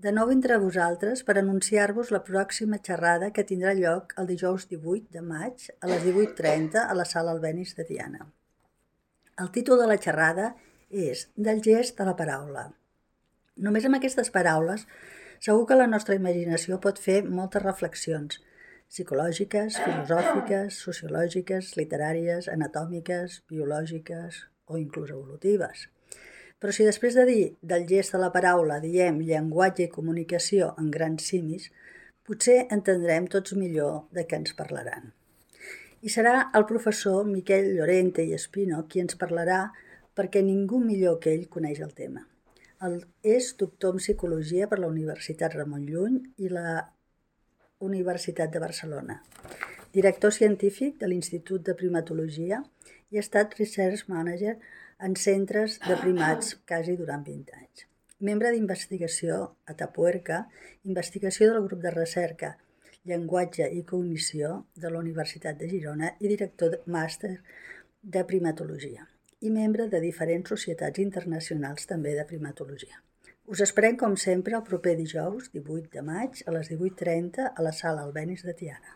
de nou entre vosaltres per anunciar-vos la pròxima xerrada que tindrà lloc el dijous 18 de maig a les 18:30 a la sala Albéniz de Tiana. El títol de la xerrada és Del gest a la paraula. Només amb aquestes paraules segur que la nostra imaginació pot fer moltes reflexions psicològiques, filosòfiques, sociològiques, literàries, anatòmiques, biològiques o inclús evolutives. Però si després de dir del gest a la paraula diem llenguatge i comunicació en grans simis, potser entendrem tots millor de què ens parlaran. I serà el professor Miquel Llorente i Espino qui ens parlarà perquè ningú millor que ell coneix el tema. És doctor en Psicologia per la Universitat Ramon Llull i la Universitat de Barcelona, director científic de l'Institut de Primatologia i ha estat Research Manager en centres de primats quasi durant 20 anys. Membre d'investigació a Tapuerca, investigació del grup de recerca Llenguatge i Cognició de la Universitat de Girona i director màster de primatologia i membre de diferents societats internacionals també de primatologia. Us esperem com sempre el proper dijous 18 de maig a les 18:30 a la sala Albéniz de Tiana.